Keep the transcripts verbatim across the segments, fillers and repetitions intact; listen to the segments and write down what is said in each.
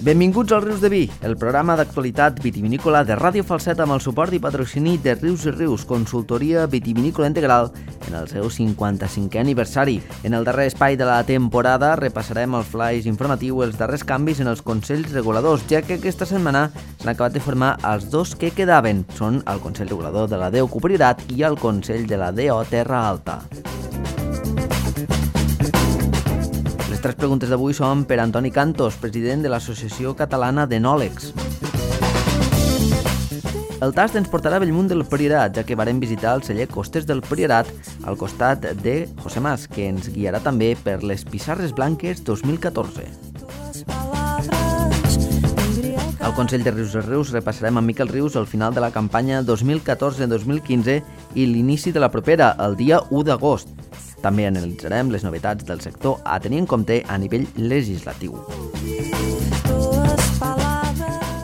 Benvinguts al Rius de Vi, el programa d'actualitat vitivinícola de Ràdio Falset amb el suport i patrocini de Rius i Rius, consultoria vitivinícola integral en el seu cinquanta-cinquè aniversari. En el darrer espai de la temporada repassarem el flaix informatiu, els darrers canvis en els consells reguladors, ja que aquesta setmana s'han acabat de formar els dos que quedaven. Són el Consell Regulador de la D O Q Priorat i el Consell de la D O Terra Alta. Les tres preguntes d'avui són per Antoni Cantos, president de l'Associació Catalana d'Enòlegs. El tast ens portarà a Bellmunt del Priorat, ja que varem visitar el celler Costes del Priorat al costat de José Mas, que ens guiarà també per les Pissarres Blanques dos mil catorze. Al Consell de Rius i Rius repassarem amb Miquel Rius el final de la campanya dos mil catorze dos mil quinze i l'inici de la propera, el dia u d'agost. També analitzarem les novetats del sector a tenir en compte a nivell legislatiu.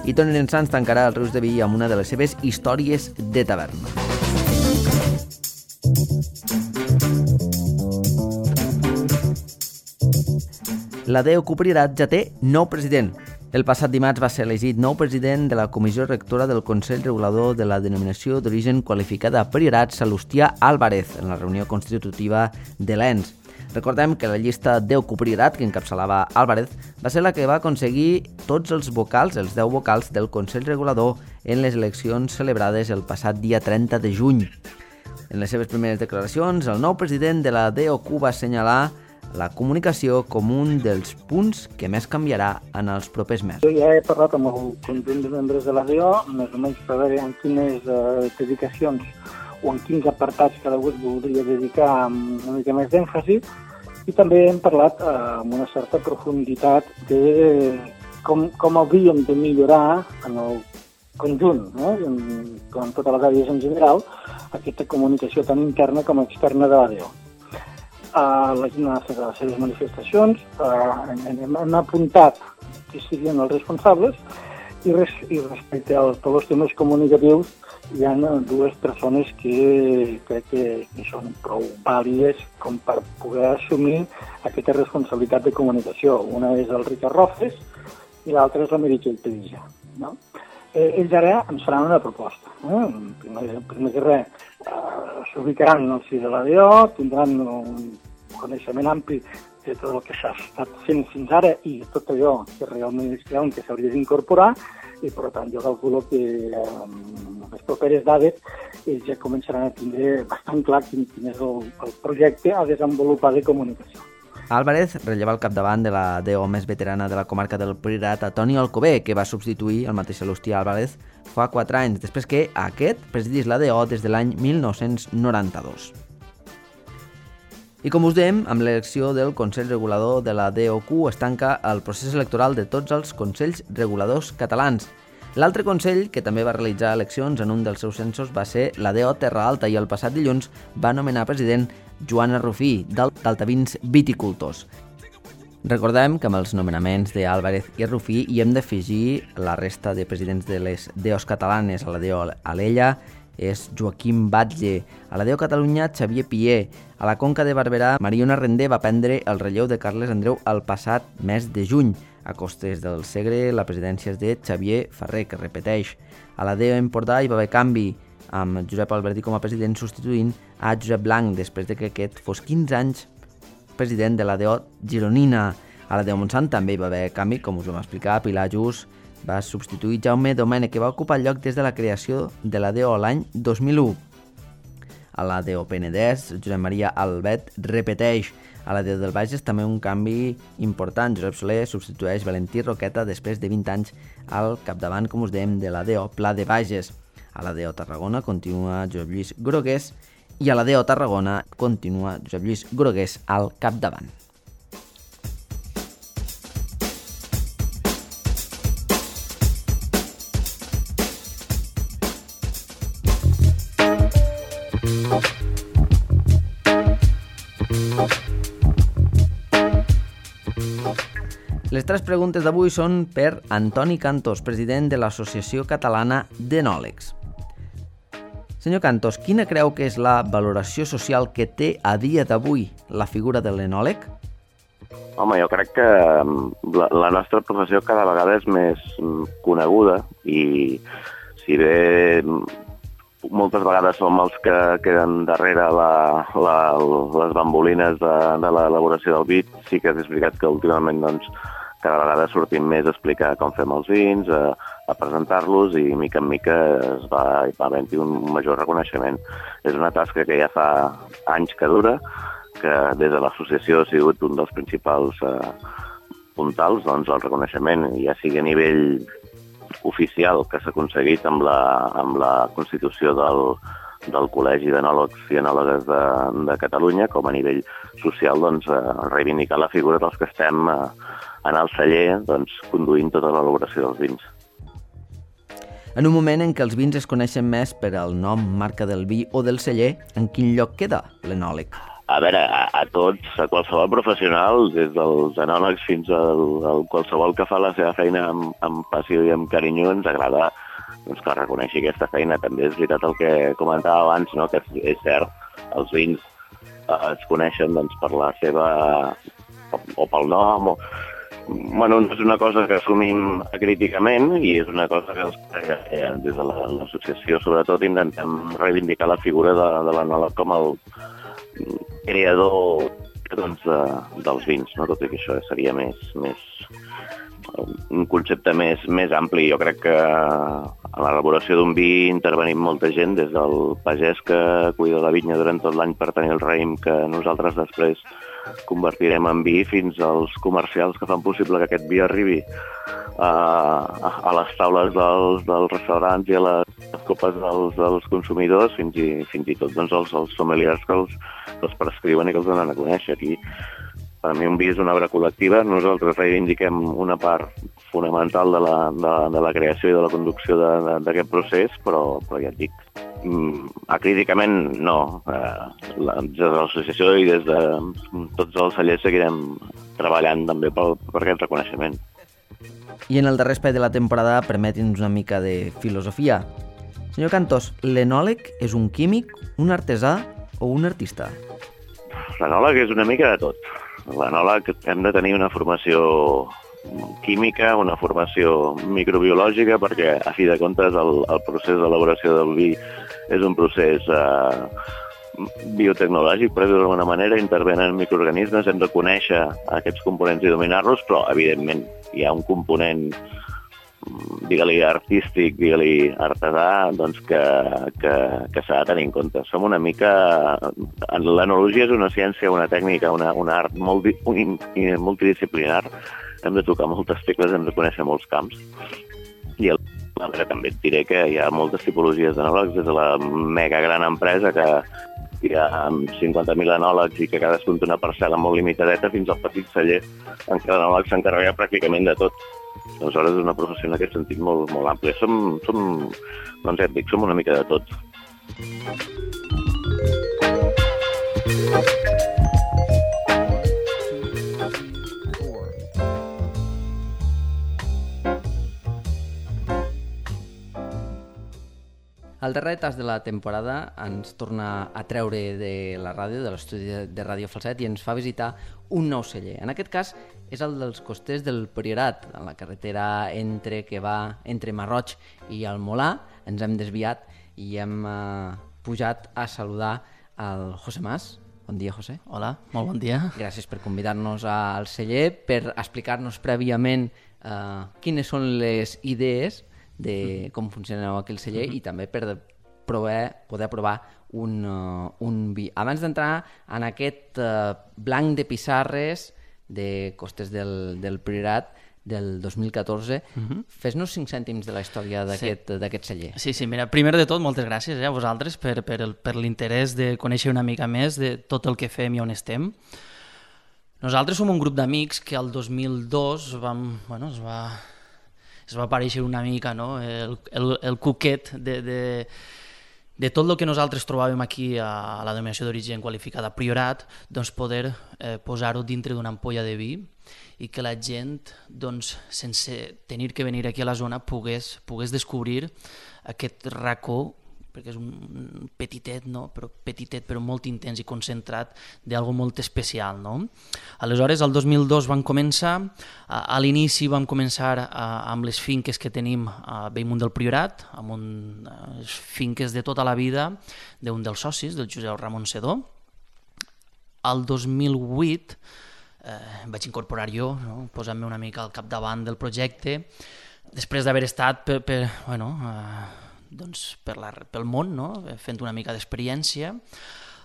I Toni Lensans tancarà el Rius de Vi amb una de les seves històries de taverna. La D O Q Priorat ja té nou president. El passat dimarts va ser elegit nou president de la Comissió Rectora del Consell Regulador de la Denominació d'Origen Qualificada Priorat, Salustià Álvarez, en la reunió constitutiva de l'E N S. Recordem que la llista D O Q Priorat, que encapçalava Álvarez, va ser la que va aconseguir tots els vocals, els deu vocals del Consell Regulador en les eleccions celebrades el passat dia trenta de juny. En les seves primeres declaracions, el nou president de la D O Q va assenyalar la comunicació com un dels punts que més canviarà en els propers mesos. Jo ja he parlat amb el conjunt de membres de la D O, més o menys per veure en quines uh, dedicacions o en quins apartats cada un voldria dedicar amb una mica més d'èmfasi, i també hem parlat uh, amb una certa profunditat de com, com hauríem de millorar en el conjunt, no? en, en totes les àrees en general, aquesta comunicació tant interna com externa de la D O. Uh, la gent ha fet les seves manifestacions, uh, hem, hem apuntat qui serien els responsables i, res, i respecte a tots els temes comunicatius hi ha dues persones que crec que, que són prou vàlides com per poder assumir aquesta responsabilitat de comunicació. Una és el Ricard Rofes i l'altra és la Meritxell Pedilla. No? Eh, ells ara ens faran una proposta. Eh? Primer, primer que res, uh, s'ubicaran en el si de la D O, tindran un coneixement ampli de tot el que s'ha estat fent fins ara i tot allò que realment es creuen que s'hauria d'incorporar, i per tant jo calculo que amb les properes dades ells ja començaran a tindre bastant clar quin, quin és el, el projecte a desenvolupar de comunicació. Álvarez relleva al capdavant de la D O més veterana de la comarca del Priorat, a Toni Alcover, que va substituir el mateix Salustià Álvarez fa quatre anys, després que aquest presidís la D O des de l'any mil nou-cents noranta-dos. I com us dèiem, amb l'elecció del Consell Regulador de la D O Q es tanca el procés electoral de tots els Consells Reguladors catalans. L'altre Consell, que també va realitzar eleccions en un dels seus censos, va ser la D O Terra Alta i el passat dilluns va nomenar president Joana Rufí, d'Altavins Viticultors. Recordem que amb els nomenaments d'Álvarez i Rufí hi hem d'afegir la resta de presidents de les D Os catalanes. A la D O Alella és Joaquim Batlle, a la D O Catalunya Xavier Pier, a la Conca de Barberà Mariona Rendé va prendre el relleu de Carles Andreu el passat mes de juny. A Costes del Segre la presidència és de Xavier Ferrer, que repeteix. A la D O Empordà hi va haver canvi, amb Josep Albertí com a president substituint a Josep Blanc, després de que aquest fos quinze anys president de la D O Gironina. A la D O Montsant també hi va haver canvi, com us vam explicar. Pilar Just va substituir Jaume Domènech, que va ocupar el lloc des de la creació de la D O l'any dos mil u. A la D O Penedès, Josep Maria Albet repeteix. A la D O del Bages també un canvi important. Josep Soler substitueix Valentí Roqueta després de vint anys al capdavant, com us dèiem, de la D O Pla de Bages. A la D O Tarragona continua Josep Lluís Grogués i a la D O Tarragona continua Josep Lluís Grogués al capdavant. Les tres preguntes d'avui són per Antoni Cantos, president de l'Associació Catalana d'Enòlegs. Senyor Cantos, quina creu que és la valoració social que té a dia d'avui la figura de l'enòleg? Home, jo crec que la, la nostra professió cada vegada és més coneguda i si bé moltes vegades som els que queden darrere la, la, les bambolines de, de l'elaboració del vi, sí que és veritat que últimament doncs, cada vegada sortim més a explicar com fem els vins, a, a presentar-los i mica en mica es va, va havent-hi un major reconeixement. És una tasca que ja fa anys que dura, que des de l'associació ha sigut un dels principals eh, puntals, doncs el reconeixement, ja sigui a nivell oficial que s'ha aconseguit amb la, amb la constitució del, del Col·legi d'Enòlegs i Enòlogues de, de Catalunya, com a nivell social, doncs, eh, reivindicar la figura dels que estem eh, en el celler doncs, conduint tota l'elaboració dels vins. En un moment en què els vins es coneixen més per al nom, marca del vi o del celler, en quin lloc queda l'enòleg? A veure, a, a tots, a qualsevol professional, des dels enòlegs fins al, al qualsevol que fa la seva feina amb, amb passió i amb carinyo, ens agrada doncs, que reconeixi aquesta feina. També és veritat el que comentava abans, no? Que és, és cert, els vins eh, es coneixen doncs, per la seva... o, o pel nom, o... Bueno, és una cosa que assumim críticament i és una cosa que, que des de l'associació sobretot intentem reivindicar la figura de, de l'enòleg com el creador doncs, de, dels vins, no? Tot i que això seria més, més un concepte més, més ampli. Jo crec que a l'elaboració d'un vi intervenim molta gent, des del pagès que cuida la vinya durant tot l'any per tenir el raïm que nosaltres després convertirem en vi, fins als comercials que fan possible que aquest vi arribi a, a, a les taules dels, dels restaurants i a les copes dels, dels consumidors, fins i, fins i tot doncs, els, els sommeliers que els, que els prescriuen i que els donen a conèixer. Aquí, per a mi, un vi és una obra col·lectiva. Nosaltres reivindiquem una part fonamental de la, de, de la creació i de la conducció d'aquest procés, però, però ja et dic, acríticament no. Eh, la, des de l'associació i des de tots els cellers seguirem treballant també per, per aquest reconeixement. I en el darrer espai de la temporada, permeti'ns una mica de filosofia. Senyor Cantós, l'enòleg és un químic, un artesà o un artista? L'enòleg és una mica de tot. L'enòleg hem de tenir una formació química, una formació microbiològica, perquè a fi de comptes el, el procés d'elaboració del vi és un procés eh, biotecnològic, per dir-ho d'alguna manera, intervenen microorganismes, hem de conèixer aquests components i dominar-los, però evidentment hi ha un component, digue-li artístic, digue-li artesà, doncs que, que, que s'ha de tenir en compte. Som una mica... L'enologia és una ciència, una tècnica, una, una art molt, multidisciplinar. Hem de tocar moltes tecles, hem de conèixer molts camps. I el, també et diré que hi ha moltes tipologies d'enòlegs, des de la mega gran empresa que hi ha cinquanta mil enòlegs i que cadascun té una parcel·la molt limitadeta, fins al petit celler en què l'enòleg s'encarrega pràcticament de tot. Aleshores és una professió en aquest sentit molt, molt àmplia. Som, som, doncs ja et dic, som una mica de tot. El darrer tas de la temporada ens torna a treure de la ràdio, de l'estudi de Ràdio Falset, i ens fa visitar un nou celler. En aquest cas és el dels Costers del Priorat, a la carretera entre que va entre Marroig i el Molà. Ens hem desviat i hem eh, pujat a saludar al José Mas. Bon dia, José. Hola, molt bon dia. Gràcies per convidar-nos al celler, per explicar-nos prèviament eh, quines són les idees de com funciona aquell celler i també per provar, poder provar un, uh, un vi. Abans d'entrar en aquest uh, blanc de pissarres de Costers del, del Priorat del dos mil catorze, uh-huh. Fes-nos cinc cèntims de la història d'aquest sí. d'aquest celler. Sí, sí, mira, primer de tot, moltes gràcies eh, a vosaltres per, per, el, per l'interès de conèixer una mica més de tot el que fem i on estem. Nosaltres som un grup d'amics que el dos mil dos vam, bueno, es va... es va aparèixer una mica no? el, el, el cuquet de, de, de tot el que nosaltres trobàvem aquí a la denominació d'origen qualificada Priorat, doncs poder eh, posar-ho dintre d'una ampolla de vi i que la gent, doncs, sense tenir que venir aquí a la zona, pogués, pogués descobrir aquest racó perquè és un petitet, no? Però petitet, però molt intens i concentrat d'algo molt especial, no? Aleshores, el dos mil dos vam començar, a, a l'inici vam començar a, amb les finques que tenim a Bellmunt del Priorat, amb un, les finques de tota la vida d'un dels socis, del Josep Ramon Sedó. El dos mil vuit eh, vaig incorporar jo, no? Posant-me una mica al capdavant del projecte, després d'haver estat per, per, bueno, eh, doncs per la, pel món, no? Fent una mica d'experiència.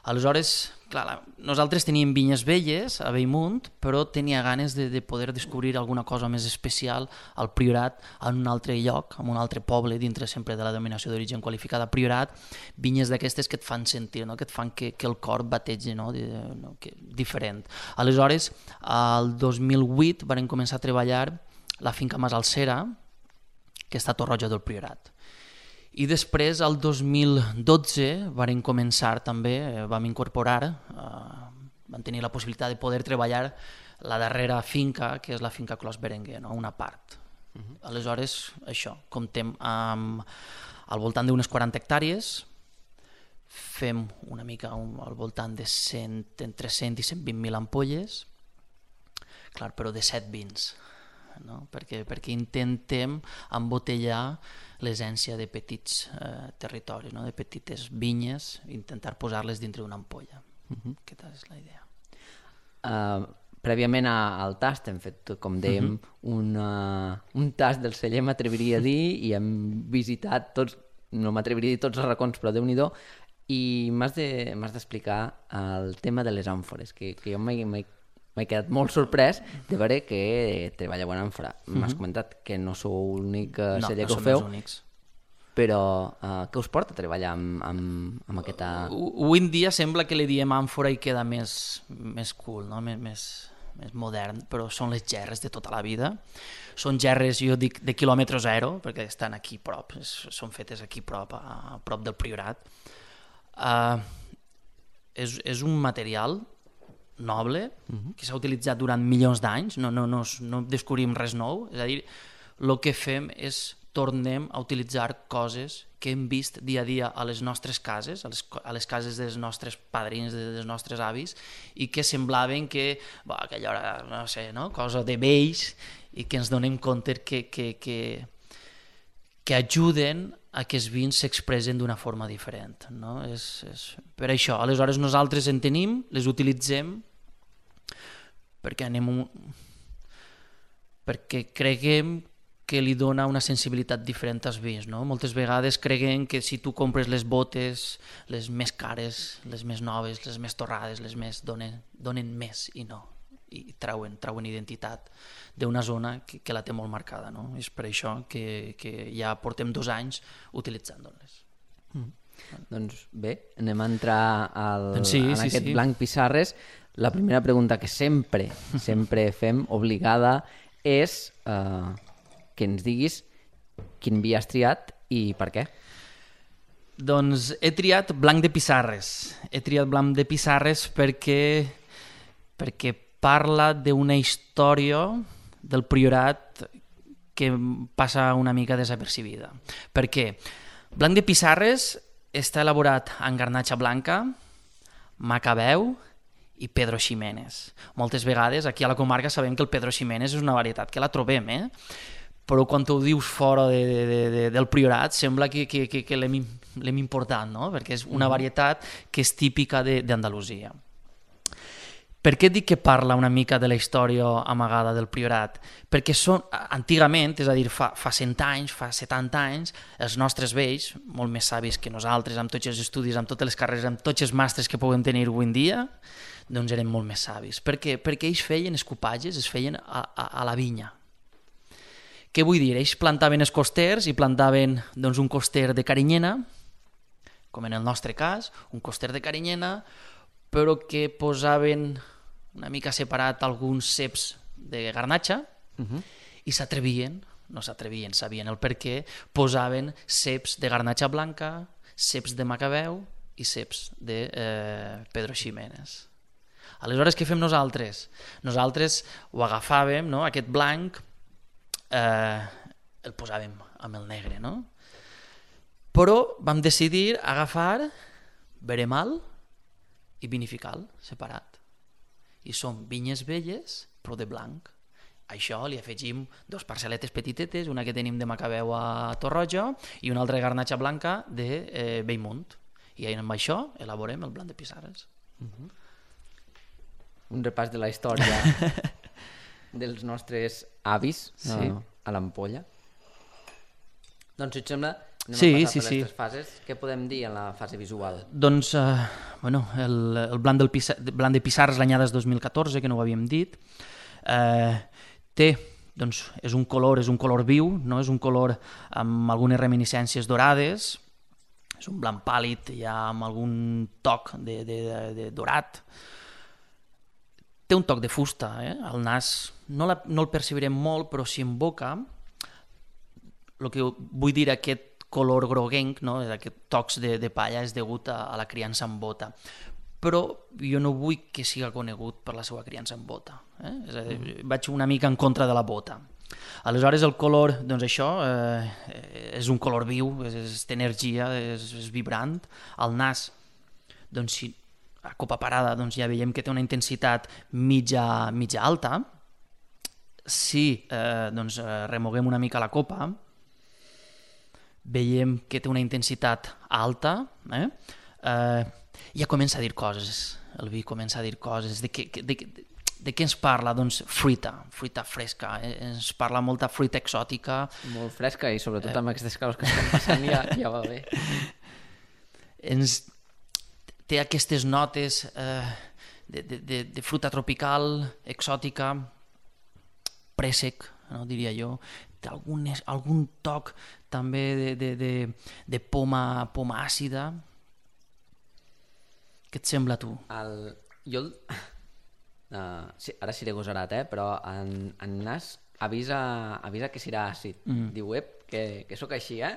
Aleshores, clar, la, nosaltres teníem vinyes velles a Bellmunt, però tenia ganes de, de poder descobrir alguna cosa més especial al Priorat, en un altre lloc, en un altre poble, dintre sempre de la denominació d'origen qualificada Priorat, vinyes d'aquestes que et fan sentir, no? Que et fan que, que el cor bategi, no? De, no? Que, diferent. Aleshores, el dos mil vuit vam començar a treballar la finca Mas Alcera, que està a Torroja del Priorat. I després, el dos mil dotze, vam començar també, eh, vam incorporar, eh, vam tenir la possibilitat de poder treballar la darrera finca, que és la finca Clos Berenguer, no? Una part. Uh-huh. Aleshores, això, comptem amb al voltant d'unes quaranta hectàrees, fem una mica un, al voltant de cent, entre cent i cent vint mil ampolles, clar, però de set vins. No? Perquè, perquè intentem embotellar l'essència de petits eh, territoris, no? De petites vinyes, intentar posar-les dintre d'una ampolla. Uh-huh. Aquesta és la idea. Uh, prèviament a, al tast hem fet, com dèiem, uh-huh. una, un tast del celler, m'atreviria a dir, i hem visitat tots, no m'atreviria a dir tots els racons, però Déu-n'hi-do, i m'has de, m'has d'explicar el tema de les àmfores, que, que jo m'he m'he quedat molt sorprès de veure que treballeu en àmfora. Mm-hmm. M'has comentat que no sou l'únic celler no, que ho feu, no però uh, què us porta a treballar amb, amb, amb aquesta... Avui en dia sembla que li diem àmfora i queda més, més cool, no? més, més, més modern, però són les gerres de tota la vida. Són gerres, jo dic, de quilòmetre zero, perquè estan aquí prop, són fetes aquí prop, a, a prop del Priorat. Uh, és, és un material noble, uh-huh. que s'ha utilitzat durant milions d'anys, no, no, no, no descobrim res nou, és a dir, el que fem és tornem a utilitzar coses que hem vist dia a dia a les nostres cases, a les, a les cases dels nostres padrins, dels nostres avis, i que semblaven que, bah, aquella hora, no sé, no? Cosa de vells, i que ens donem compte que, que, que, que ajuden a que els vins s'expressen d'una forma diferent. No? És, és... Per això, aleshores nosaltres en tenim, les utilitzem, perquè anem un... perquè creguem que li dona una sensibilitat diferent als vins. No? Moltes vegades creguem que si tu compres les botes, les més cares, les més noves, les més torrades, les més donen, donen més, i no. I trauen, trauen identitat d'una zona que, que la té molt marcada. No? És per això que, que ja portem dos anys utilitzant-les. Mm. Doncs bé, anem a entrar al, doncs sí, en sí, aquest sí. blanc Pissarres. La primera pregunta que sempre, sempre fem, obligada, és eh, que ens diguis quin vi has triat i per què. Doncs he triat blanc de Pissarres. He triat blanc de Pissarres perquè, perquè parla d'una història del Priorat que passa una mica desapercibida. Per què? Blanc de Pissarres està elaborat en garnatxa blanca, macabeu i Pedro Ximénez. Moltes vegades aquí a la comarca sabem que el Pedro Ximénez és una varietat que la trobem, eh? Però quan ho dius fora de, de, de, del Priorat sembla que, que, que, que l'hem, l'hem importat, no? Perquè és una varietat que és típica d'Andalusia. Per què dic que parla una mica de la història amagada del Priorat? Perquè són, antigament, és a dir, fa, fa cent anys, fa setanta anys, els nostres vells, molt més savis que nosaltres, amb tots els estudis, amb totes les carreres, amb tots els màsters que puguem tenir avui en dia, doncs eren molt més savis. Per què? Perquè ells feien escopatges, es feien a, a, a la vinya. Què vull dir? Ells plantaven els costers i plantaven doncs, un coster de carinyena, com en el nostre cas, un coster de carinyena, però que posaven una mica separat alguns ceps de garnatxa uh-huh. i s'atrevien, no s'atrevien, sabien el per què, posaven ceps de garnatxa blanca, ceps de macabeu i ceps de eh, Pedro Ximénez. Aleshores, què fem nosaltres? Nosaltres ho agafàvem, no? Aquest blanc, eh, el posàvem amb el negre, no? Però vam decidir agafar veremal i vinifical separat. I són vinyes velles, però de blanc. A això li afegim dos parcel·letes petitetes, una que tenim de Macabeu a Torroja i una altra de garnatxa blanca de eh, Bellmunt. I amb això elaborem el blanc de Pissarres. Uh-huh. Un repàs de la història dels nostres avis, sí, no, a l'ampolla. Doncs, si et sembla, anem sí, a passar sí, per les sí. tres fases. Què podem dir en la fase visual? Doncs, eh, bueno, el, el blanc, del Pissa, blanc de Pissarres l'anyada és dos mil catorze, que no ho havíem dit. Eh, té, doncs, és un color, és un color viu, no? És un color amb algunes reminiscències dorades, és un blanc pàl·lid, ja amb algun toc de, de, de, de dorat. Té un toc de fusta, eh? El nas no, la, no el percebirem molt, però si en boca, el que vull dir aquest color groguenc, no? Aquest tocs de, de palla és degut a, a la criança en bota. Però jo no vull que siga conegut per la seva criança en bota. Eh? És a dir, mm. Vaig una mica en contra de la bota. Aleshores el color, doncs això, eh, és un color viu, és, és té energia, és, és vibrant. El nas, doncs si a copa parada doncs ja veiem que té una intensitat mitja, mitja alta. Si eh, doncs, remoguem una mica la copa, veiem que té una intensitat alta, eh? Eh, ja comença a dir coses, el vi comença a dir coses, de què, de, de, de què ens parla? Doncs fruita, fruita fresca, eh? Ens parla molta fruita exòtica. Molt fresca i sobretot amb aquestes calors que estan passant ja, ja va bé. Ens té aquestes notes eh, de, de, de, de fruita tropical, exòtica, préssec, no, diria jo, té algun, algun toc també de, de, de, de poma, poma àcida. Què et sembla a tu? El, jo, uh, sí, ara seré gosarat, eh? Però en, en nas avisa, avisa que serà àcid. Mm. Diu, ep, que, que sóc així, eh?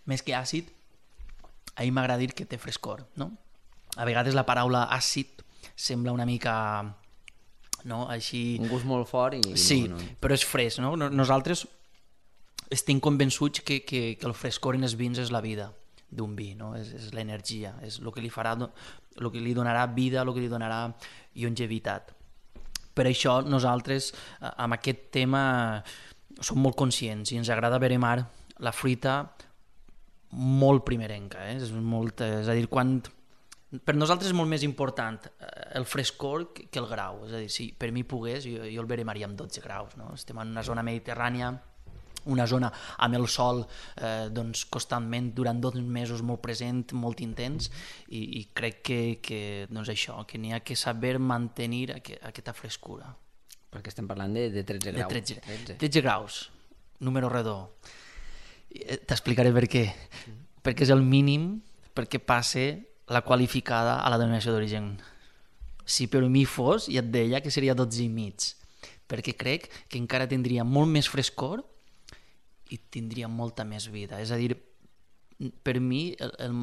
Més que àcid, a mi m'agrada dir que té frescor, no? A vegades la paraula àcid sembla una mica, no, així... Un gust molt fort i... Sí, no, no. però és fresc, no? Nosaltres estem convençuts que, que, que el frescor en els vins és la vida d'un vi, no? És, és l'energia, és el que li farà, el que li donarà vida, el que li donarà longevitat. Per això nosaltres amb aquest tema som molt conscients i ens agrada veremar la fruita molt primerenca, eh? És, molt, és a dir, quan... per nosaltres és molt més important el frescor que el grau, és a dir, si per mi pogués jo, jo el veremaria amb dotze graus, no? Estem en una zona mediterrània, una zona amb el sol eh, doncs, constantment durant dos mesos molt present, molt intens, i, i crec que, que doncs això, que n'hi ha que saber mantenir aqu aquesta frescura. Perquè estem parlant de, de tretze graus. De tretze, tretze. tretze graus, número redó. T'explicaré per què. Mm. Perquè és el mínim perquè passe la qualificada a la denominació d'origen. Si per mi fos, ja et deia que seria dotze i mig, perquè crec que encara tindria molt més frescor i tindria molta més vida. És a dir, per mi el, el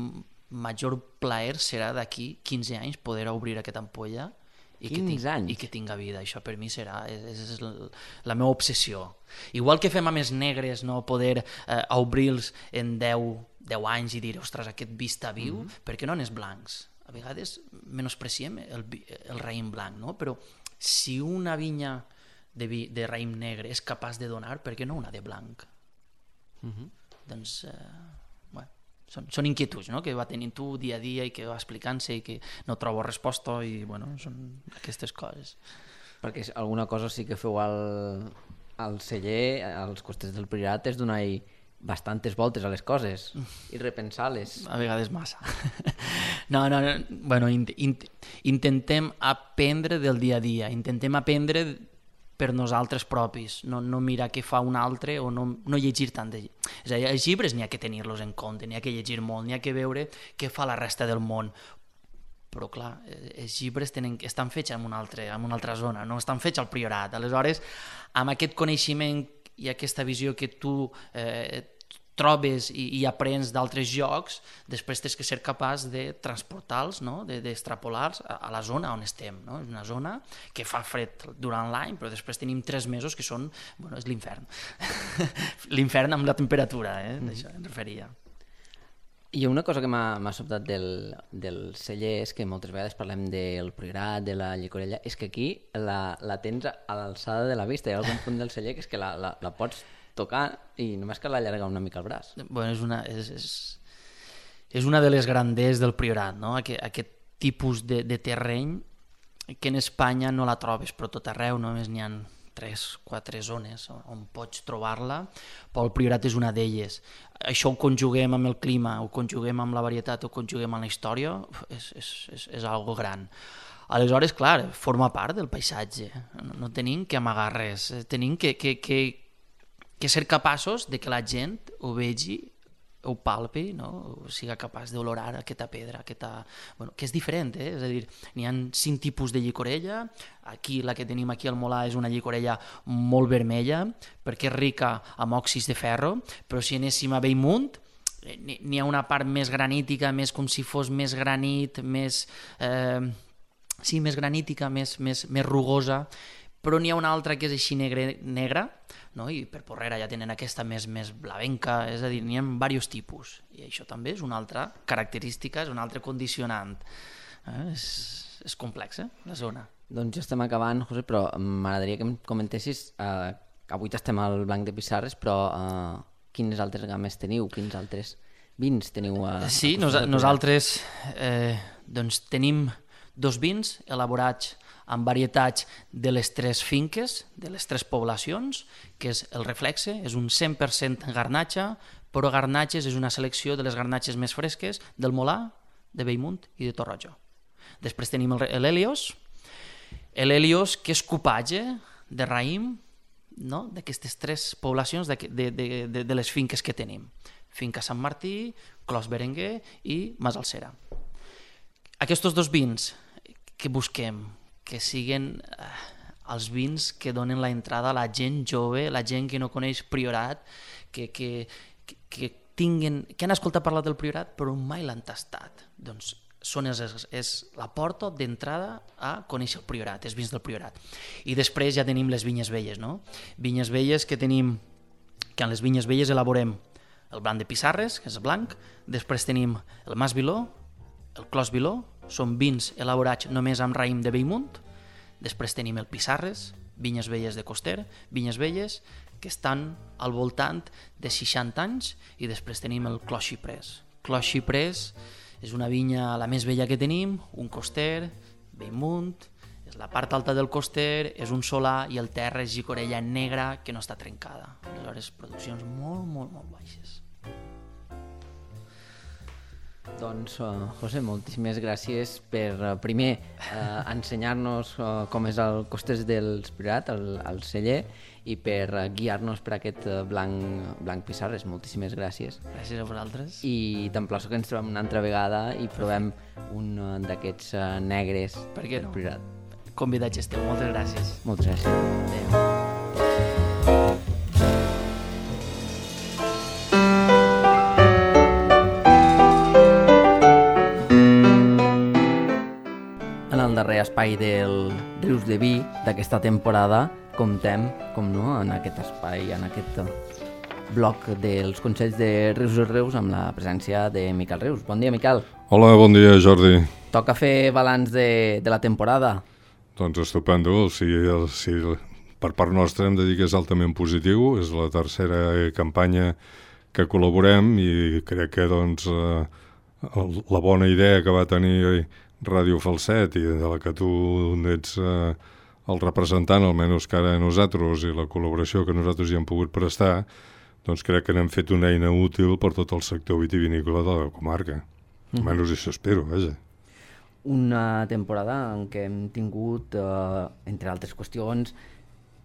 major plaer serà d'aquí quinze anys poder obrir aquesta ampolla i que, ting anys. i que tinga vida. Això per mi serà és, és la meva obsessió. Igual que fem amb els negres, no? Poder eh, obrir-los en deu anys i dir, ostres, aquest vi està viu, mm-hmm. Per què no en els blancs? A vegades menospreciem el, el raïm blanc, no? Però si una vinya de, vi, de raïm negre és capaç de donar, per què no una de blanc? Mm-hmm. Doncs eh, bueno, són, són inquietuds, no? Que va tenint tu dia a dia i que va explicant-se i que no trobo resposta i bueno, són aquestes coses. Perquè alguna cosa sí que feu al, al celler, als costers del Priorat, és donar-hi bastantes voltes a les coses i repensar-les. A vegades massa. No, no, no. Bueno, in, in, intentem aprendre del dia a dia, intentem aprendre per nosaltres propis, no, no mirar què fa un altre o no, no llegir tant de... És a dir, els llibres n'hi ha que tenir-los en compte, n'hi ha que llegir molt, n'hi ha que veure què fa la resta del món, però clar, els llibres tenen, estan fets en una, altra, en una altra zona, no estan fets al Priorat. Aleshores, amb aquest coneixement i aquesta visió que tu, eh, trobes i, i aprens d'altres jocs, després tens que ser capaç de transportar-los, no? d'extrapolar-los a, a la zona on estem. No? És una zona que fa fred durant l'any, però després tenim tres mesos que són, bueno, és l'infern. L'infern amb la temperatura, eh? Mm. D'això em referia. I una cosa que m'ha sobtat del, del celler és que moltes vegades parlem del Priorat, de la llicorella, és que aquí la, la tens a l'alçada de la vista. Hi ha algun punt del celler que és que la, la, la pots tocar i només cal allargar una mica el braç. Bueno, és una, és, és, és una de les granders del Priorat, no? Aquest, aquest tipus de, de terreny que en Espanya no la trobes, però tot arreu només n'hi ha tres, quatre zones on pots trobar-la, però el Priorat és una d'elles. Això ho conjuguem amb el clima, ho conjuguem amb la varietat, ho conjuguem amb la història, és, és, és, és algo gran. Aleshores, clar, forma part del paisatge, no, no tenim que amagar res, tenim que, que, que, que ser capaços de que la gent ho vegi, ho palpi, no? O sigui capaç d'olorar aquesta pedra, aquesta... Bueno, que és diferent, eh? És a dir, n'hi ha cinc tipus de llicorella, aquí la que tenim aquí al Molar és una llicorella molt vermella, perquè és rica amb òxids de ferro, però si anéssim a Bellmunt, n'hi ha una part més granítica, més com si fos més granit, més... Eh, sí, més granítica, més, més, més rugosa, però n'hi ha una altra que és així negre, negra, no? I per Porrera ja tenen aquesta més, més blavenca, és a dir, n'hi ha diversos tipus, i això també és una altra característica, és un altre condicionant. Eh? És, és complex, eh? La zona. Doncs ja estem acabant, José, però m'agradaria que em comentessis, eh, avui estem al Blanc de Pissarres, però eh, quines altres games teniu, quins altres vins teniu? A, sí, a nos, nosaltres eh, doncs tenim dos vins elaborats amb varietats de les tres finques, de les tres poblacions, que és el Reflexe, és un cent per cent garnatxa, però garnatxes és una selecció de les garnatxes més fresques del Molar, de Bellmunt i de Torroja. Després tenim l'Helios, l'Helios que és cupatge de raïm, no? D'aquestes tres poblacions de, de, de, de les finques que tenim. Finca Sant Martí, Clos Berenguer i Masalcera. Aquests dos vins que busquem, que siguin eh, els vins que donen la entrada a la gent jove, la gent que no coneix Priorat, que, que, que, que, tinguen, que han escoltat parlar del Priorat però mai l'han tastat. Doncs són és, és la porta d'entrada a conèixer el Priorat, els vins del Priorat. I després ja tenim les vinyes velles, no? Vinyes velles que tenim, que en les vinyes velles elaborem el blanc de Pissarres, que és blanc, després tenim el Mas Viló, el Clos Viló, són vins elaborats només amb raïm de Bellmunt. Després tenim el Pissarres, vinyes velles de Coster, vinyes velles que estan al voltant de seixanta anys, i després tenim el Clos Xiprés. Clos Xiprés és una vinya la més vella que tenim, un Coster, Bellmunt, és la part alta del Coster, és un solà, i el terra és llicorella negra que no està trencada. Aleshores, produccions molt, molt, molt baixes. Doncs, uh, José, moltíssimes gràcies per, uh, primer, uh, ensenyar-nos uh, com és el Costers del Priorat, el, el celler, i per uh, guiar-nos per aquest uh, blanc, blanc Pissarres. Moltíssimes gràcies. Gràcies a vosaltres. I t'emplaço que ens trobem una altra vegada i provem un uh, d'aquests uh, negres per què del no? Priorat. Convidats esteu. Moltes gràcies. Moltes gràcies. Adéu. En el darrer espai del Rius de Vi d'aquesta temporada comptem, com no, en aquest espai, en aquest bloc dels Consells de Rius i Reus amb la presència de Miquel Rius. Bon dia, Miquel. Hola, bon dia, Jordi. Toca fer balanç de, de la temporada. Doncs estupendo. O sigui, el, si per part nostra hem de dir que és altament positiu. És la tercera campanya que col·laborem i crec que doncs, eh, la bona idea que va tenir Ràdio Falset i de la que tu ets eh, el representant, almenys cara a nosaltres, i la col·laboració que nosaltres hi hem pogut prestar, doncs crec que n'hem fet una eina útil per tot el sector vitivinícola de la comarca. Mm. Almenys això espero, vaja. Una temporada en què hem tingut, eh, entre altres qüestions,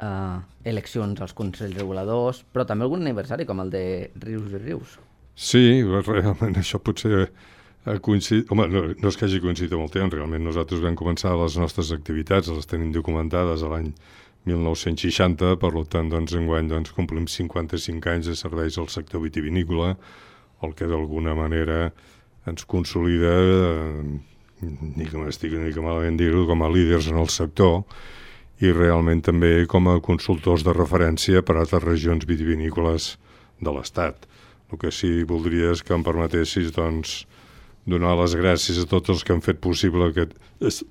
eh, eleccions als Consells Reguladors, però també algun aniversari, com el de Rius i Rius. Sí, realment això potser ha coincidit... Home, no, no és que hagi coincidit amb el temps, realment nosaltres vam començar les nostres activitats, les tenim documentades a l'any mil nou-cents seixanta, per tant, doncs, enguany doncs, complim cinquanta-cinc anys de serveis al sector vitivinícola, el que d'alguna manera ens consolida, eh, ni que m'estic ni que malament dir-ho, com a líders en el sector, i realment també com a consultors de referència per a altres regions vitivinícoles de l'Estat. El que sí voldria és que em permetessis doncs, donar les gràcies a tots els que han fet possible que es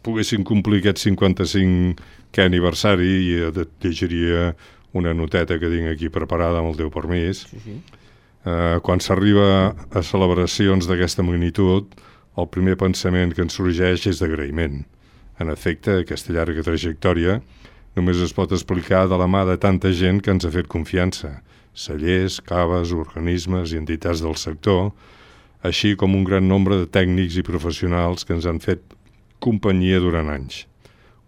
poguessin complir aquest cinquanta-cinquè aniversari, i llegiria una noteta que tinc aquí preparada amb el teu permís. Sí, sí. Eh, quan s'arriba a celebracions d'aquesta magnitud, el primer pensament que ens sorgeix és d'agraïment. En efecte, aquesta llarga trajectòria només es pot explicar de la mà de tanta gent que ens ha fet confiança, cellers, caves, organismes i entitats del sector, així com un gran nombre de tècnics i professionals que ens han fet companyia durant anys.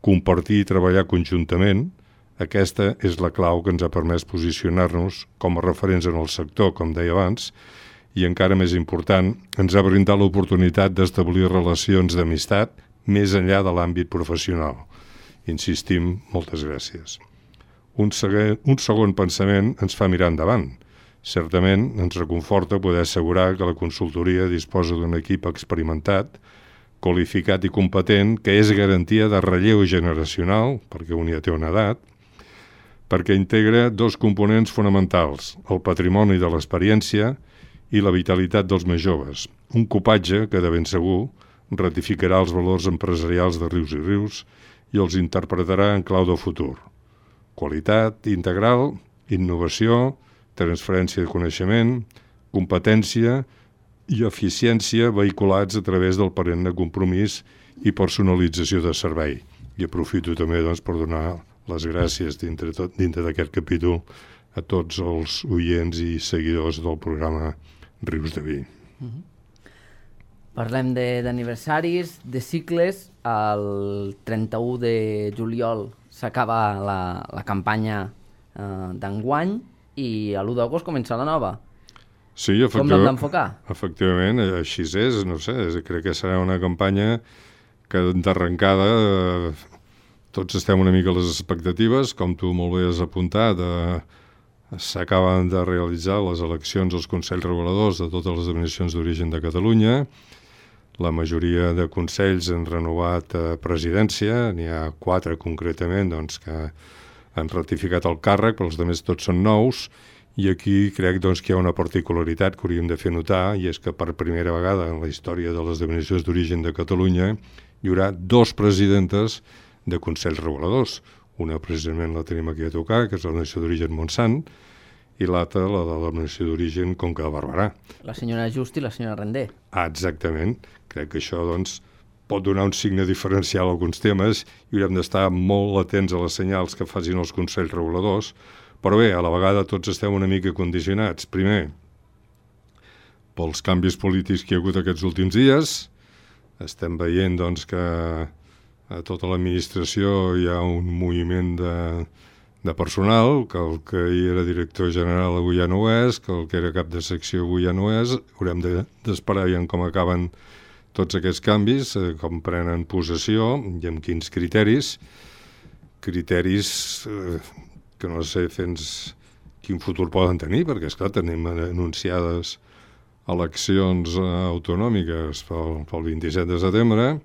Compartir i treballar conjuntament, aquesta és la clau que ens ha permès posicionar-nos com a referents en el sector, com deia abans, i encara més important, ens ha brindat l'oportunitat d'establir relacions d'amistat més enllà de l'àmbit professional. Insistim, moltes gràcies. Un, segon, un segon pensament ens fa mirar endavant. Certament ens reconforta poder assegurar que la consultoria disposa d'un equip experimentat, qualificat i competent, que és garantia de relleu generacional, perquè un ja té una edat, perquè integra dos components fonamentals, el patrimoni de l'experiència i la vitalitat dels més joves. Un copatge que, de ben segur, ratificarà els valors empresarials de Rius i Rius i els interpretarà en clau de futur. Qualitat integral, innovació, transferència de coneixement, competència i eficiència vehiculats a través del perenne compromís i personalització de servei. I aprofito també doncs, per donar les gràcies dintre, tot, dintre d'aquest capítol a tots els oients i seguidors del programa Rius de Vi. Uh-huh. Parlem d'aniversaris, de, de cicles. El trenta-u de juliol s'acaba la, la campanya eh, d'enguany i a l'u d'agost comença la nova. Sí, com l'hem d'enfocar? Efectivament, així és, no sé, crec que serà una campanya que d'arrencada eh, tots estem una mica a les expectatives, com tu molt bé has apuntat, eh, s'acaben de realitzar les eleccions als Consells Reguladors de totes les denominacions d'origen de Catalunya. La majoria de consells han renovat eh, presidència, n'hi ha quatre concretament doncs, que han ratificat el càrrec, però els altres tots són nous, i aquí crec doncs, que hi ha una particularitat que hauríem de fer notar, i és que per primera vegada en la història de les denominacions d'origen de Catalunya hi haurà dos presidentes de Consells Reguladors. Una precisament la tenim aquí a tocar, que és la denominació d'origen Montsant, i l'altra la de la denominació d'origen Conca de Barberà. La senyora Just i la senyora Rendé. Ah, exactament. Crec que això doncs, pot donar un signe diferencial a alguns temes i haurem d'estar molt atents a les senyals que facin els Consells Reguladors, però bé, a la vegada tots estem una mica condicionats. Primer, pels canvis polítics que hi ha hagut aquests últims dies, estem veient doncs, que a tota l'administració hi ha un moviment de, de personal, que el que hi era director general avui ja no ho és, que el que era cap de secció avui ja no és. Haurem d'esperar de, com acaben tots aquests canvis, eh, com prenen possessió i amb quins criteris. Criteris eh, que no sé fins quin futur poden tenir, perquè esclar, tenim anunciades eleccions eh, autonòmiques pel, pel vint-i-set de setembre,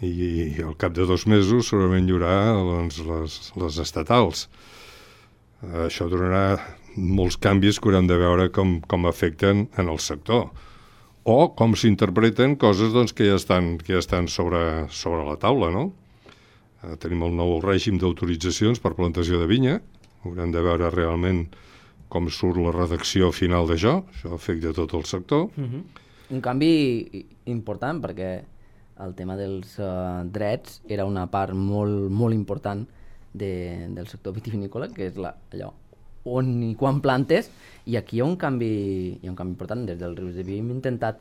i al cap de dos mesos segurament hi haurà doncs, les, les estatals. Això donarà molts canvis que haurem de veure com, com afecten en el sector, o com s'interpreten coses doncs, que ja estan, que ja estan sobre, sobre la taula, no? Eh, tenim el nou règim d'autoritzacions per plantació de vinya, haurem de veure realment com surt la redacció final d'això, això afecta tot el sector. Uh-huh. Un canvi important, perquè el tema dels uh, drets era una part molt, molt important de, del sector vitivinícola, que és la, allò on i quan plantes, i aquí hi ha un canvi, hi ha un canvi important. Des del Rius de Vi hem intentat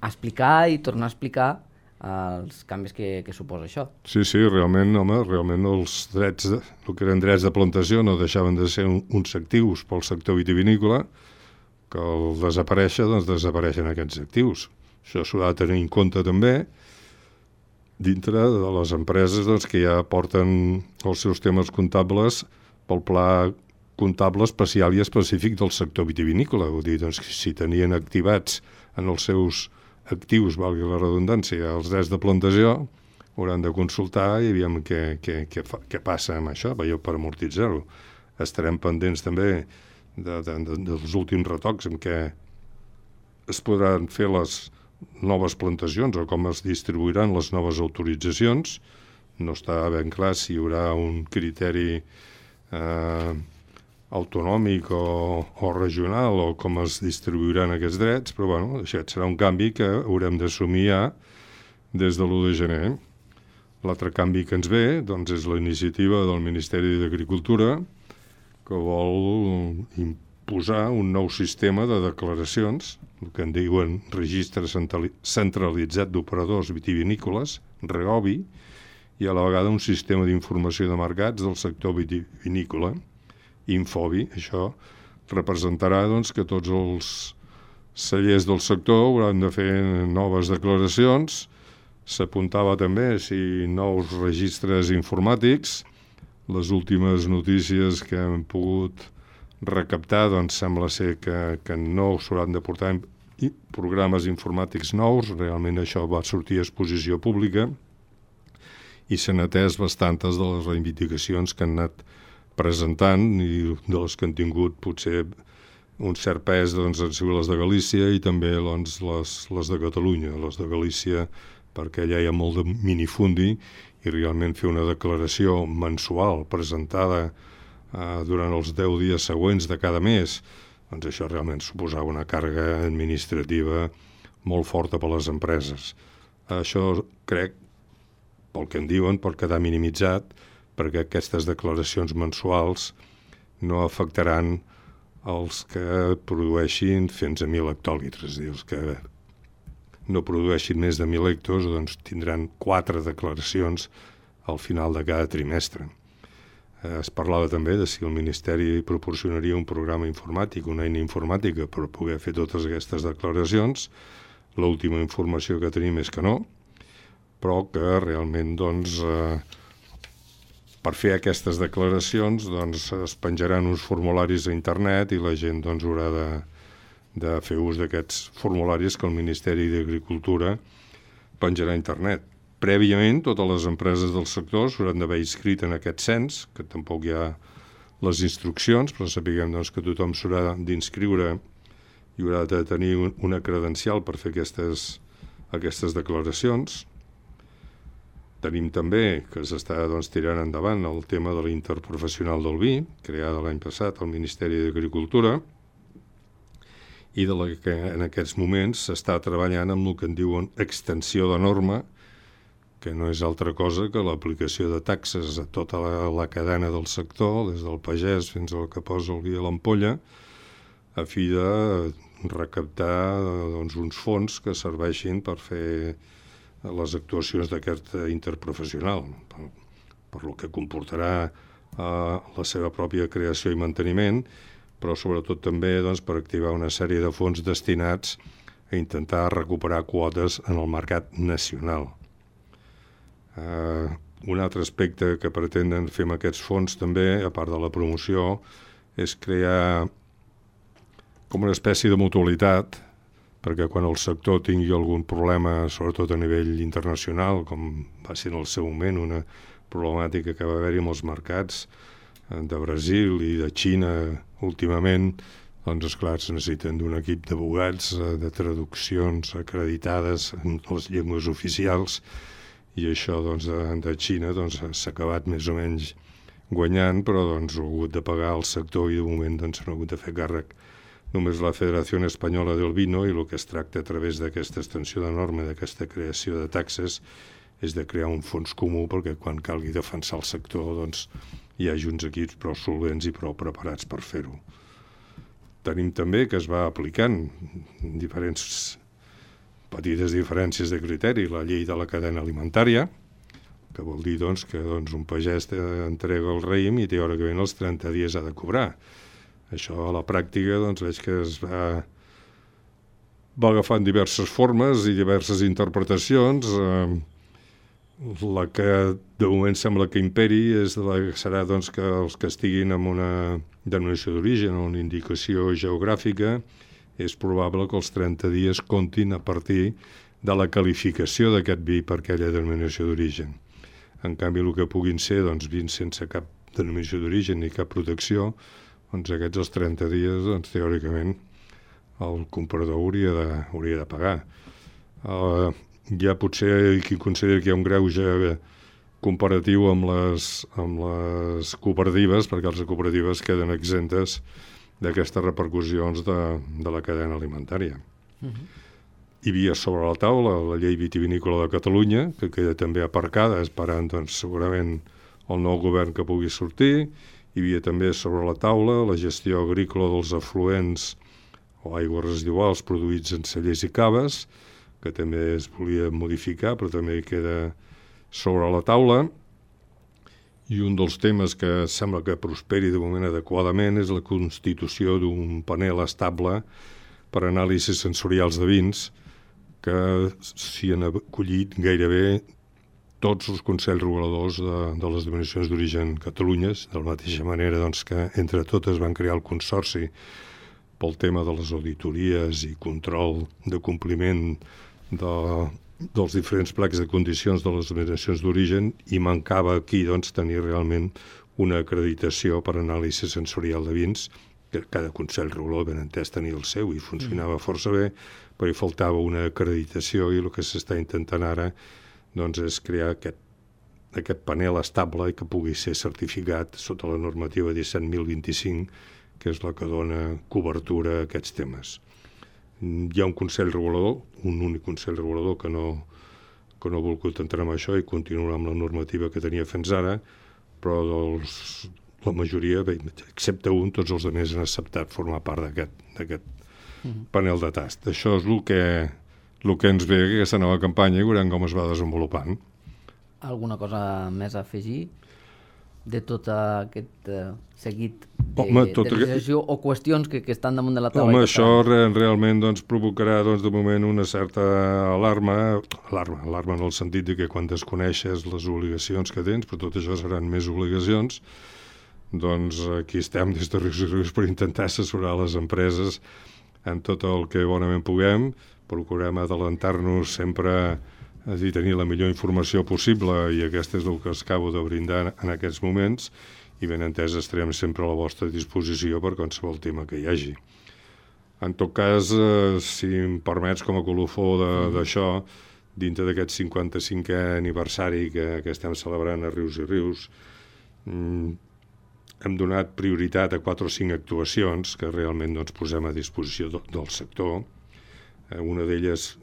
explicar i tornar a explicar els canvis que, que suposa això. Sí, sí, realment, home, realment els drets, de, el que eren drets de plantació no deixaven de ser un, uns actius pel sector vitivinícola, que al desaparèixer, doncs desapareixen aquests actius. Això s'ho ha de tenir en compte també. dintre de les empreses doncs, que ja porten els seus temes comptables pel pla comptable especial i específic del sector vitivinícola. Vull dir, doncs, si tenien activats en els seus actius, valgui la redundància, els drets de plantació, hauran de consultar i aviam què, què, què, fa, què passa amb això, per amortitzar-ho. Estarem pendents també de, de, de, dels últims retocs en què es podran fer les noves plantacions o com es distribuiran les noves autoritzacions. No està ben clar si hi haurà un criteri eh, autonòmic o, o regional o com es distribuiran aquests drets, però bueno, això serà un canvi que haurem d'assumir ja des de l'u de gener. L'altre canvi que ens ve doncs, és la iniciativa del Ministeri d'Agricultura que vol imposar un nou sistema de declaracions, el que en diuen registre centralitzat d'operadors vitivinícoles, REOVI, i a la vegada un sistema d'informació de mercats del sector vitivinícola, Infovi. Això representarà doncs, que tots els cellers del sector hauran de fer noves declaracions. S'apuntava també si nous registres informàtics. Les últimes notícies que hem pogut recaptar doncs sembla ser que, que no s'hauran de portar programes informàtics nous. Realment això va sortir a exposició pública i s'han atès bastantes de les reivindicacions que han anat presentant i de les que han tingut potser un cert pes doncs, han sigut les de Galícia i també doncs, les, les de Catalunya. Les de Galícia perquè allà hi ha molt de minifundi i realment fer una declaració mensual presentada eh, durant els deu dies següents de cada mes, doncs això realment suposava una càrrega administrativa molt forta per a les empreses. Això crec, pel que en diuen, pot quedar minimitzat perquè aquestes declaracions mensuals no afectaran els que produeixin fins a mil hectòlitres, és a dir, els que no produeixin més de mil hectos, doncs tindran quatre declaracions al final de cada trimestre. Es parlava també de si el Ministeri proporcionaria un programa informàtic, una eina informàtica per poder fer totes aquestes declaracions. L'última informació que tenim és que no, però que realment doncs, eh, per fer aquestes declaracions doncs, es penjaran uns formularis a internet i la gent doncs, haurà de de fer ús d'aquests formularis que el Ministeri d'Agricultura penjarà a internet. Prèviament, totes les empreses del sector s'hauran d'haver inscrit en aquest cens, que tampoc hi ha les instruccions, però sapiguem doncs, que tothom s'haurà d'inscriure i haurà de tenir una credencial per fer aquestes, aquestes declaracions. Tenim també que s'està doncs, tirant endavant el tema de l'interprofessional del vi, creada l'any passat al Ministeri d'Agricultura, i de la que en aquests moments s'està treballant amb el que en diuen extensió de norma, que no és altra cosa que l'aplicació de taxes a tota la, la cadena del sector, des del pagès fins al que posa el vi a l'ampolla, a fi de recaptar doncs, uns fons que serveixin per fer les actuacions d'aquest interprofessional, per, per lo que comportarà eh, la seva pròpia creació i manteniment, però sobretot també doncs, per activar una sèrie de fons destinats a intentar recuperar quotes en el mercat nacional. Uh, un altre aspecte que pretenen fer amb aquests fons també, a part de la promoció, és crear com una espècie de mutualitat perquè quan el sector tingui algun problema, sobretot a nivell internacional, com va ser en el seu moment una problemàtica que va haver-hi amb els mercats de Brasil i de Xina últimament, doncs esclar, es necessiten d'un equip d'abogats, de traduccions acreditades en les llengües oficials, i això doncs, de, de Xina doncs, s'ha acabat més o menys guanyant, però doncs, ho ha hagut de pagar el sector i de moment doncs, no ha hagut de fer càrrec només la Federació Espanyola del Vino, i el que es tracta a través d'aquesta extensió de norma, d'aquesta creació de taxes, és de crear un fons comú perquè quan calgui defensar el sector doncs, hi hagi uns equips prou solvents i prou preparats per fer-ho. Tenim també que es va aplicant diferents petites diferències de criteri la llei de la cadena alimentària, que vol dir doncs, que doncs, un pagès entrega el raïm i teòricament els trenta dies ha de cobrar. Això a la pràctica doncs, veig que es va, va agafant diverses formes i diverses interpretacions. Eh, la que de moment sembla que imperi és la que serà doncs, que els que estiguin amb una denominació d'origen o una indicació geogràfica és probable que els trenta dies comptin a partir de la qualificació d'aquest vi per aquella denominació d'origen. En canvi, el que puguin ser doncs, vins sense cap denominació d'origen ni cap protecció, doncs aquests els trenta dies, doncs, teòricament, el comprador hauria de, hauria de pagar. Uh, hi ha potser qui considera que hi ha un greuge comparatiu amb les, amb les cooperatives, perquè les cooperatives queden exemptes d'aquestes repercussions de, de la cadena alimentària. Uh-huh. Hi havia sobre la taula la llei vitivinícola de Catalunya, que queda també aparcada, esperant doncs, segurament el nou govern que pugui sortir. Hi havia també sobre la taula la gestió agrícola dels afluents o aigües residuals produïts en cellers i caves, que també es volia modificar, però també queda sobre la taula. I un dels temes que sembla que prosperi de moment adequadament és la constitució d'un panel estable per anàlisis sensorials de vins, que s'hi han acollit gairebé tots els consells reguladors de, de les denominacions d'origen Catalunyes, de la mateixa manera doncs, que entre totes van crear el consorci pel tema de les auditories i control de compliment de, dels diferents plecs de condicions de les denominacions d'origen, i mancava aquí doncs, tenir realment una acreditació per anàlisi sensorial de vins, que cada consell regulador ben entès tenia el seu i funcionava força bé, però hi faltava una acreditació, i el que s'està intentant ara doncs, és crear aquest, aquest panel estable i que pugui ser certificat sota la normativa disset mil vint-i-cinc, que és la que dona cobertura a aquests temes. Hi ha un consell regulador, un únic consell regulador que no, que no ha volgut entrar en això i continuar amb la normativa que tenia fins ara, però dels, la majoria, bé, excepte un, tots els altres han acceptat formar part d'aquest mm-hmm. panel de tast. Això és el que, el que ens ve aquesta nova campanya i veurem com es va desenvolupant. Alguna cosa més a afegir de tot aquest uh, seguit de, Home, tot de legislació que... o qüestions que, que estan damunt de la taula? Home, això re, realment doncs, provocarà doncs, de moment una certa alarma, alarma, alarma en el sentit de que quan desconeixes les obligacions que tens, però tot això seran més obligacions, doncs aquí estem des de Rius i Rius per intentar assessorar les empreses en tot el que bonament puguem, procurem adelantar-nos sempre a dir, tenir la millor informació possible, i aquesta és el que es acabo de brindar en aquests moments, i ben entès estarem sempre a la vostra disposició per qualsevol tema que hi hagi. En tot cas, eh, si em permets com a colofó d'això, dintre d'aquest cinquanta-cinquè aniversari que, que estem celebrant a Rius i Rius, mm, hem donat prioritat a quatre o cinc actuacions que realment doncs, posem a disposició do, del sector. Eh, una d'elles,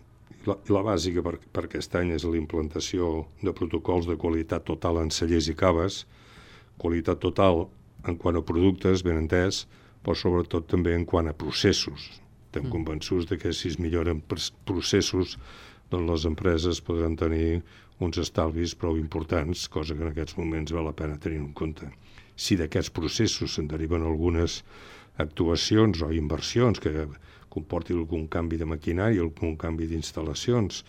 la, la bàsica per, per aquest any, és la implantació de protocols de qualitat total en cellers i caves, qualitat total en quant a productes, ben entès, però sobretot també en quant a processos. Estem mm. convençuts de que si es milloren processos, doncs les empreses podran tenir uns estalvis prou importants, cosa que en aquests moments val la pena tenir en compte. Si d'aquests processos se'n deriven algunes actuacions o inversions que comporti algun canvi de maquinària, algun canvi d'instal·lacions,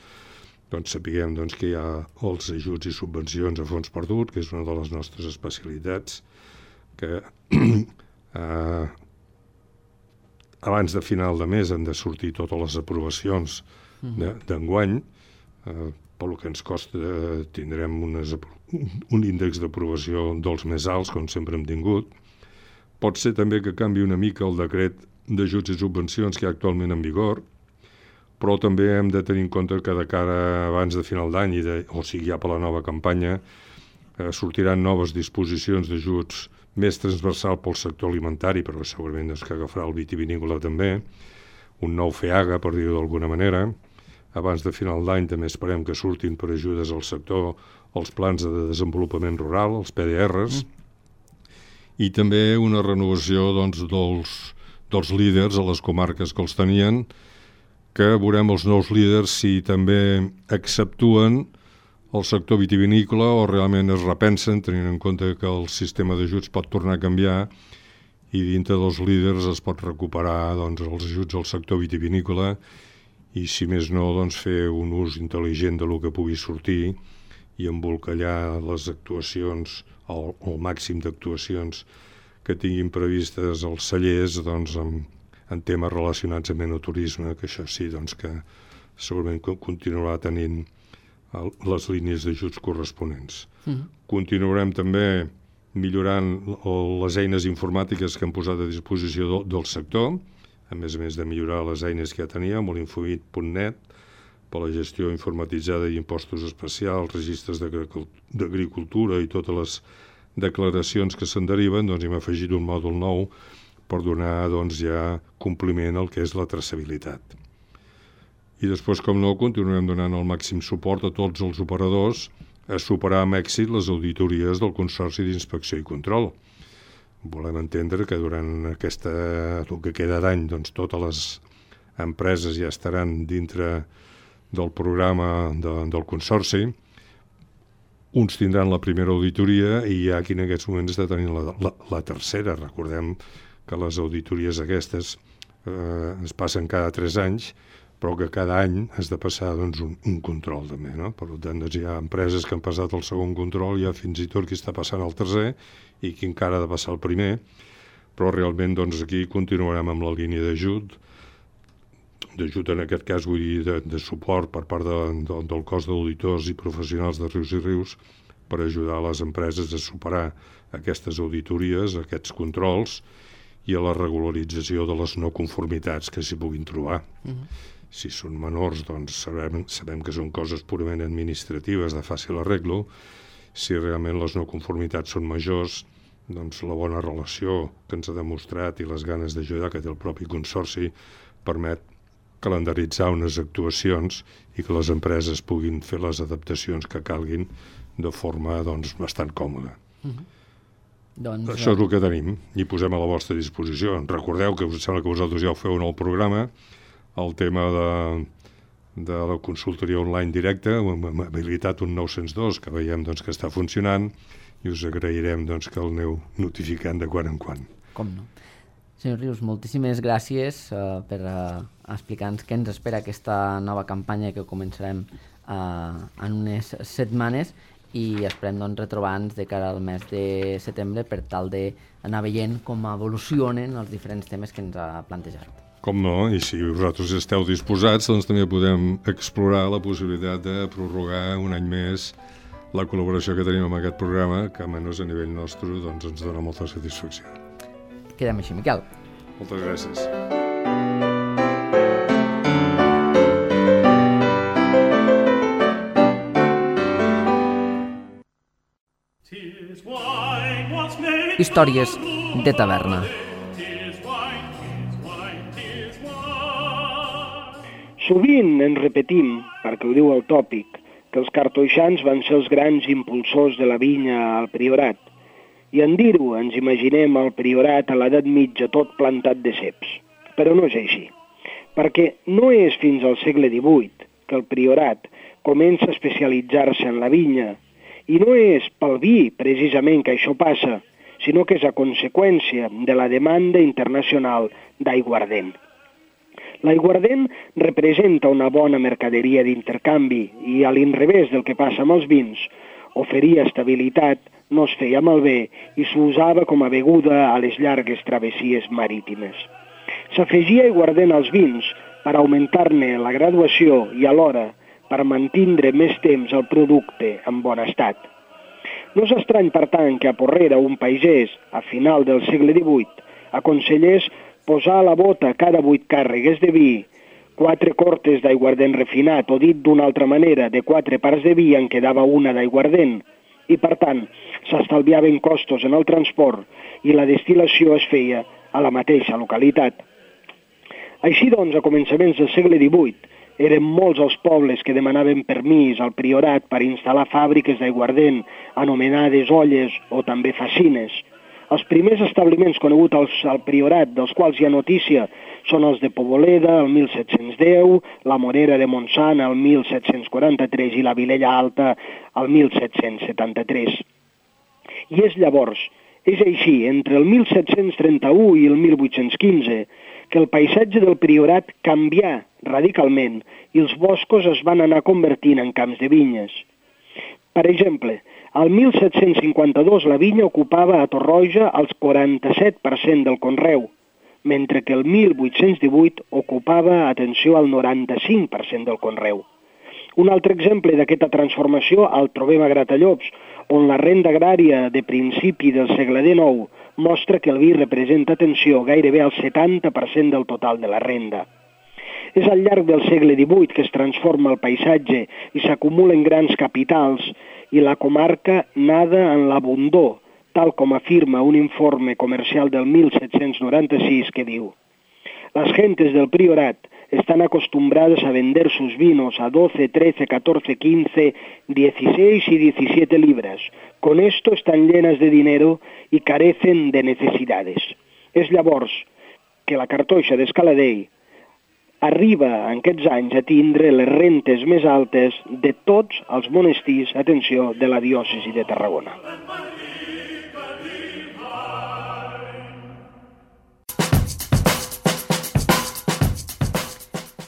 doncs sapiguem doncs, que hi ha els ajuts i subvencions a fons perdut, que és una de les nostres especialitats, que eh, abans de final de mes han de sortir totes les aprovacions d'enguany. Eh, pel que ens costa eh, tindrem unes, un índex d'aprovació dels més alts, com sempre hem tingut. Pot ser també que canvi una mica el decret d'ajuts i subvencions que hi ha actualment en vigor, però també hem de tenir en compte que de cara abans de final d'any, o sigui ja per la nova campanya, eh, sortiran noves disposicions d'ajuts més transversal pel sector alimentari, però segurament doncs, que agafarà el vitivinícola també, un nou FEAGA, per dir-ho d'alguna manera. Abans de final d'any també esperem que surtin per ajudes al sector els plans de desenvolupament rural, els P D Rs, mm. i també una renovació doncs, dels, dels líders a les comarques que els tenien, que veurem els nous líders si també acceptuen el sector vitivinícola o realment es repensen, tenint en compte que el sistema d'ajuts pot tornar a canviar i dintre dels líders es pot recuperar doncs, els ajuts al sector vitivinícola i, si més no, doncs, fer un ús intel·ligent de lo que pugui sortir i embolcallar les actuacions, el, el màxim d'actuacions que tinguin previstes els cellers, doncs, en, en temes relacionats amb enoturisme, que això sí, doncs, que segurament continuarà tenint el, les línies d'ajuts corresponents. Mm. Continuarem també millorant les eines informàtiques que hem posat a disposició del, del sector, a més a més de millorar les eines que ja teníem, l'infobit punt net, per la gestió informatitzada d'impostos especials, registres d'agricultura i totes les declaracions que se'n deriven, doncs hem afegit un mòdul nou per donar doncs, ja compliment al que és la traçabilitat. I després, com no, continuarem donant el màxim suport a tots els operadors a superar amb èxit les auditories del Consorci d'Inspecció i Control. Volem entendre que durant aquesta, el que queda d'any, doncs, totes les empreses ja estaran dintre del programa de, del Consorci. Uns tindran la primera auditoria i hi ha qui en aquests moments està tenint la, la, la tercera. Recordem que les auditories aquestes eh, es passen cada tres anys, però que cada any has de passar doncs, un, un control també, no? Per tant, doncs, hi ha empreses que han passat el segon control, hi ha fins i tot qui està passant el tercer i qui encara ha de passar el primer, però realment doncs, aquí continuarem amb la línia d'ajut, d'ajut en aquest cas vull dir de, de suport per part de, de, del cos d'auditors i professionals de Rius i Rius per ajudar les empreses a superar aquestes auditories, aquests controls i a la regularització de les no conformitats que s'hi puguin trobar. Mm-hmm. Si són menors, doncs sabem, sabem que són coses purament administratives de fàcil arreglo. Si realment les no conformitats són majors, doncs la bona relació que ens ha demostrat i les ganes d'ajudar que té el propi Consorci permet calendaritzar unes actuacions i que les empreses puguin fer les adaptacions que calguin de forma doncs, bastant còmoda. Mm-hmm. Doncs, això és el que tenim i posem a la vostra disposició. Recordeu que us sembla que vosaltres ja ho feu en el programa, el tema de, de la consultoria online directa, hem habilitat un nou cents dos que veiem doncs, que està funcionant i us agrairem doncs, que el aneu notificant de quan en quan. Com no. Senyor Rius, moltíssimes gràcies uh, per uh, explicar-nos què ens espera aquesta nova campanya que començarem uh, en unes setmanes i esperem doncs, retrobar-nos de cara al mes de setembre per tal d'anar veient com evolucionen els diferents temes que ens ha plantejat. Com no, i si vosaltres esteu disposats, doncs també podem explorar la possibilitat de prorrogar un any més la col·laboració que tenim amb aquest programa, que almenys a nivell nostre doncs, ens dona molta satisfacció. Quedem així, Miquel. Moltes gràcies. Històries de taverna. Sovint ens repetim, perquè ho diu el tòpic, que els cartoixans van ser els grans impulsors de la vinya al Priorat. I en dir-ho ens imaginem el Priorat a l'edat mitja tot plantat de ceps. Però no és així, perquè no és fins al segle divuit que el Priorat comença a especialitzar-se en la vinya, i no és pel vi precisament que això passa, sinó que és a conseqüència de la demanda internacional d'aiguardent. L'aiguardent representa una bona mercaderia d'intercanvi i, a l'inrevés del que passa amb els vins, oferia estabilitat, no es feia malbé i s'usava com a beguda a les llargues travessies marítimes. S'afegia aiguardent als vins per augmentar-ne la graduació i alhora per mantindre més temps el producte en bon estat. No és estrany, per tant, que a Porrera un pagès, a final del segle divuit, aconsellés posar a la bota cada vuit càrregues de vi, quatre cortes d'aiguardent refinat, o dit d'una altra manera, de quatre parts de vi en quedava una d'aiguardent, i per tant s'estalviaven costos en el transport i la destil·lació es feia a la mateixa localitat. Així doncs, a començaments del segle divuit, eren molts els pobles que demanaven permís al Priorat per instal·lar fàbriques d'aiguardent, anomenades olles o també facines. Els primers establiments coneguts al Priorat, dels quals hi ha notícia, són els de Poboleda, el mil set-cents deu, la Morera de Montsant, el mil set-cents quaranta-tres, i la Vilella Alta, el mil set-cents setanta-tres. I és llavors, és així, entre el mil set-cents trenta-u i el mil vuit-cents quinze, que el paisatge del Priorat canvià radicalment i els boscos es van anar convertint en camps de vinyes. Per exemple, al mil set-cents cinquanta-dos la vinya ocupava a Torroja el quaranta-set per cent del conreu, mentre que el mil vuit-cents divuit ocupava, atenció, el noranta-cinc per cent del conreu. Un altre exemple d'aquesta transformació el trobem a Gratallops, on la renda agrària de principi del segle dinou mostra que el vi representa, atenció, gairebé el setanta per cent del total de la renda. És al llarg del segle divuit que es transforma el paisatge i s'acumulen grans capitals i la comarca nada en l'abundor, tal com afirma un informe comercial del mil set-cents noranta-sis que diu: las gentes del priorat están acostumbradas a vender sus vinos a doce, trece, catorce, quince, dieciséis y diecisiete libras. Con esto están llenas de dinero y carecen de necesidades. És llavors que la cartoixa d'Escaladei arriba en aquests anys a tindre les rentes més altes de tots els monestirs, atenció, de la diòcesi de Tarragona.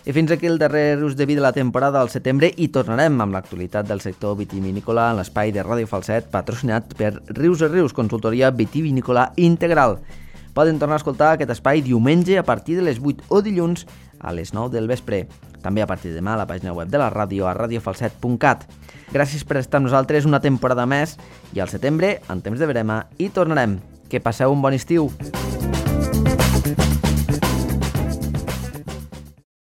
I fins aquí el darrer Rius de Vi de la temporada al setembre i tornarem amb l'actualitat del sector vitivinícola en l'espai de Ràdio Falset patrocinat per Rius a Rius, consultoria vitivinícola integral. Poden tornar a escoltar aquest espai diumenge a partir de les vuit o dilluns a les nou del vespre. També a partir de demà a la pàgina web de la ràdio a radio falset punt cat. Gràcies per estar amb nosaltres una temporada més i al setembre, en temps de verema, hi tornarem. Que passeu un bon estiu!